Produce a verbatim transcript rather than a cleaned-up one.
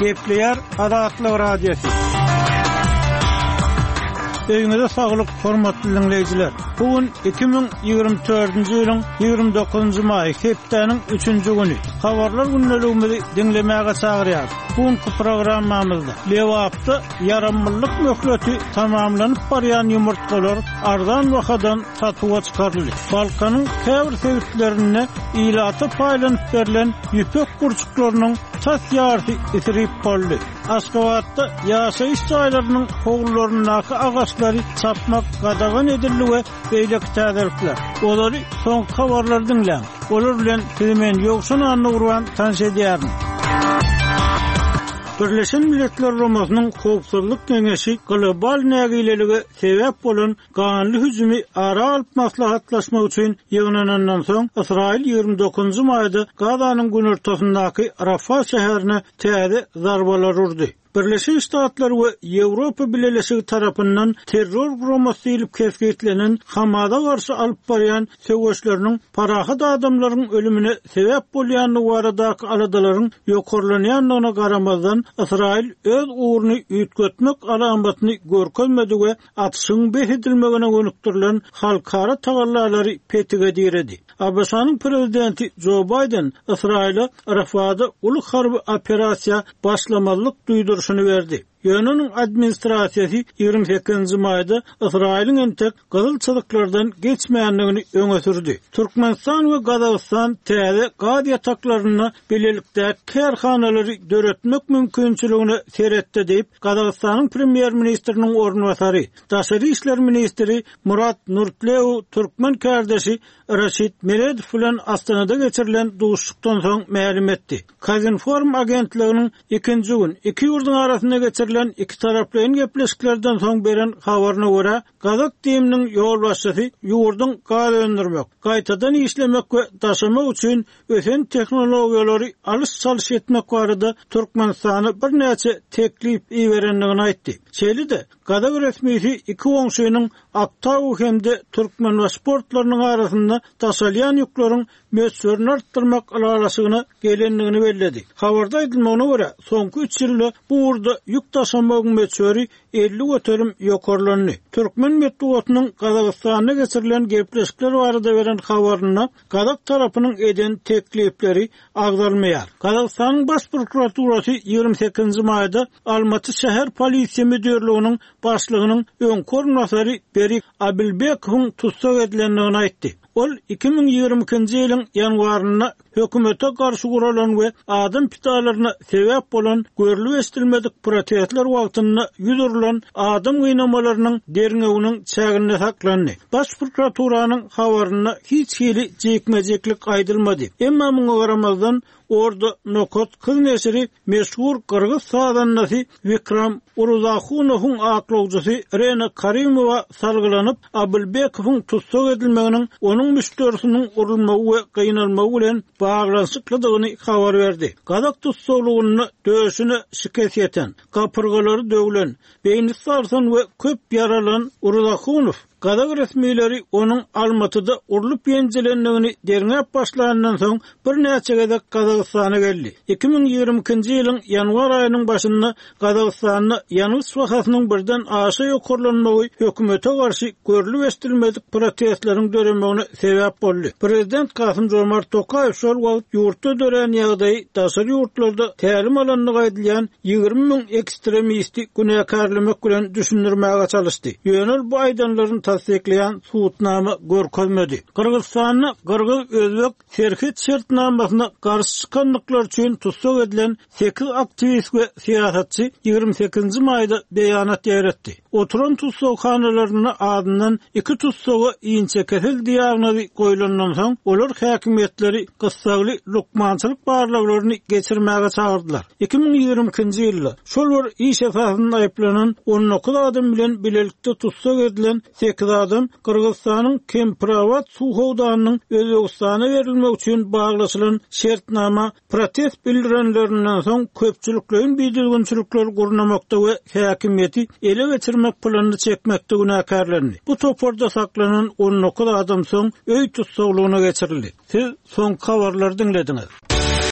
Gepleýär Azatlyk Radiosy. Öýüňize saglyk, hormatly diňleýjiler. Bu gün iki müň ýigrimi dördünji ýylyň ýigrimi dokuzynjy maýy, hepdäniň üçünji güni. Habarlar gündeligimizi diňlemäge çagyrýarys. Bu günki programmamyzda Lebapda ýaramlylyk möhleti tamamlanyp barýan ýumurtgalar arzan bahadan satuwa çykaryldy. Balkanyň käbir sebitlerinde ilata paýlanyp berlen ýüpek gurçuklarynyň tas ýarysy isrip boldy. Aşgabatda ýaşaýyş jaýlarynyň howlularyndaky agaçlary çapmak gadagan edildi we beýleki täzelikler. Olary soňky habarlary diňläň. Olar bilen sizi men Ýowşan Annagurban tanyş edýärin. Birleşen Milletler Guramasynyň Howpsuzlyk Geňeşi global nägilelige sebäp bolan ganly hüjümi ara alyp maslahatlaşmak üçin ýygnanandan soň Ysraýyl ýigrimi dokuzynjy maýda Gazanyň günortasyndaky Rafah şäherine täze zarbalar urdy. Birleşen Ştatlar we Ýewropa Bileleşigi tarapyndan terror guramasy diýlip kesgitlenen Hamasa garşy alyp barýan söweşleriniň parahat adamlaryň ölümine sebäp bolýandygy baradaky aladalaryň ýokarlanýandygyna garamazdan Ysraýyl öz ugruny üýtgetmek alamatyny görkezmedi we atyşyň bes edilmegine gönükdirilen halkara tagallalary petige diredi. ABŞ-nyň prezidenti Joe Biden Ysraýyla Rafahda uly harby operasiýa başlamalyk duýduryşyny berdi. Ýöne onuň administrasiýasy ýigrimi sekizinji maýda Ysraýylyň entek gyzyl çyzyklardan geçmändigini öňe sürdi. Türkmenistan we Gazagystan täze gaz ýataklarynda bilelikdäki kärhanalary döretmek mümkinçiligine seretdi diýip, Gazagystanyň premýer-ministriniň orunbasary, daşary işler ministri Murat Nurtleu türkmen kärdeşi Raşid Meredow bilen Astanada geçirilen duşuşykdan soň mälim etdi. Kazinform agentliginiň ikinji gün iki ýurduň arasynda geçirilen iki taraplaýyn gepleşiklerden soň beren habaryna görä, Gazak DİM-niň ýolbaşçysy ýurduň gaz öndürmek, gaýtadan işlemek we daşamak üçin ösen tehnologiýalary alyş-çalyş etmek barada Türkmenistana birnäçe teklip iberendigini aýtdy. Şeýle-de Gazak resmisi iki goňşynyň Aktau hem-de Türkmenbaşy portlarynyň arasynda daşalýan ýükleriň möçberini artdyrmak ylalaşygyna gelendigini belledi. Habarda aýdylmagyna görä, soňky üç ýylda bu ugurda ýük daşamagyň möçberi elli göterim ýokarlandy. Türkmen metbugatynyň Gazagystanda geçirilen gepleşikler barada beren habarynda Gazak tarapynyň eden teklipleri agzalmaýar. Gazagystanyň baş prokuraturasy ýigrimi sekizinji maýda Almaty şäher polisiýa müdirliginiň başlygynyň öňki orunbasary Berik Abilbekowyň tussag edilendigini aýtdy. Ol iki müň ýigrimi ikinji ýylyň ýanwarynda hökümete garşy guralan we adam pidalaryna sebäp bolan görlüp eşidilmedik protestler wagtynda ýüz urulan adam gynamalarynyň derňewiniň çäginde saklandy. Baş prokuraturanyň habarynda hiç hili jikme-jiklik aýdylmady. Emma muňa garamazdan Orda Nokat Kız neşiri meşhur Gyrgyz sazandasy Vikram Uruzahunowyň aklawcysy Rena Karimowa salgylanyp, Abilbekowyň tussag edilmeginiň onuň müşderisiniň urulmagy we gynalmagy bilen baglanyşyklydygyny habar berdi. Gazak tussaglygynda döşüne şikes ýeten, gapyrgalary döwlen, beýni sarsan we köp ýaralan Uruzahunow Gazak resmileri onuň Almatyda urlup ýenjilendigini derňäp başlandan soň birnäçe gezek Gazagystana geldi. iki müň ýigrimi ikinji ýylyň ýanwar aýynyň başynda Gazagystanda ýangyç bahasynyň birden aşa ýokarlanmagy hökümete garşy görlüp eşidilmedik protestleriň döremegine sebäp boldy. Prezident Kasym Jomart Tokaýew şol wagt ýurtda dörän ýagdaýy daşary ýurtlarda tälim alandygy aýdylýan ýigrimi müň ekstremisti günäkärlemek bilen düşündirmäge çalyşdy. Ýöne ol bu aýdanlaryny tassyklaýan subutnama görkezmedi. Gyrgyzystanda Gyrgyz-Özbek serhet şertnamasyna garşy çykanlyklar üçin tussag edilen sekiz aktiwist we syýasatçy ýigrimi sekizinji maýda beýanat ýaýratdy. Oturan tussaghanalarynda adyndan iki tussaga inçekesel diagnozy goýlandan soň olar häkimiýetleri gyssagly lukmançylyk barlaglaryny geçirmäge çagyrdylar. iki müň ýigrimi ikinji ýylda şol bir iş esasynda aýyplanan on dokuz adam bilen bilelikde tussag edilen sekiz adam Gyrgyzystanyň Kemprabat suw howdanynyň Özbegistana berilmek üçin baglaşylan şertnama protest bildirenlerinden soň köpçülikleýin bidüzgünçilikler gurnamakda we häkimiýeti ele geçirmek planyny çekmekde günäkärlendi. Bu toparda saklanan on dokuz adam soň öý tussaglygyna geçirildi. Siz soňky habarlary diňlediňiz.